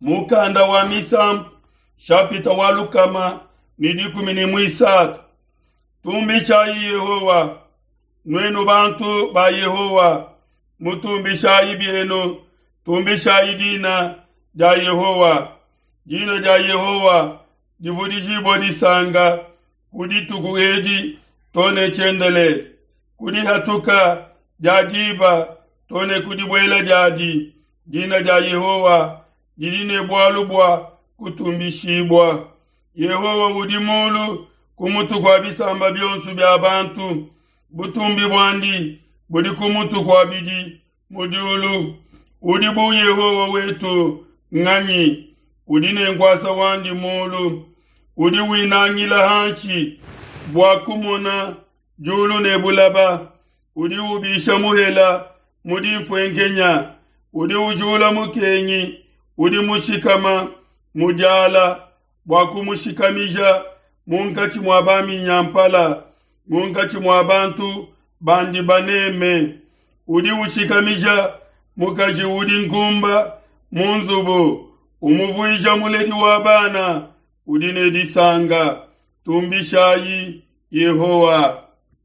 Mukanda wa Misambu shapita wa 113. Tumbishayi Yehowa, nuenu bantu ba Yehowa, mutumbishayi bienu, tumbishayi dina dia Yehowa. Dina dia Yehowa divudijibue disanka ku dituku edi to ne tshiendelele, ku dihatuka dia diba to ne ku dibuela diadi. Dina dia Yehowa didi ne bualu bua kutumbishibua. Yehowa udi mulu ku mutu kua bisamba bionso bia bantu, butumbi buandi budi ku mutu kua bidi mu diulu. Udi bu Yehowa wetu nganyi? Udi ne nkuasa wandi mulu, udi winangila hanshi bua kumona diulu ne bulaba. Udi ubisha muhela mu dinfuenkenya, udi ujula mukengi udi mushikama mu diala bua kumushikamija munkatshi mua baminyampala, munkatshi mua bantu bandi baneme. Udi ushikamija mukaji udi nkumba mu nzubu, umuvuija muledi wa bana udi ne disanka. Tumbishayi Yehowa.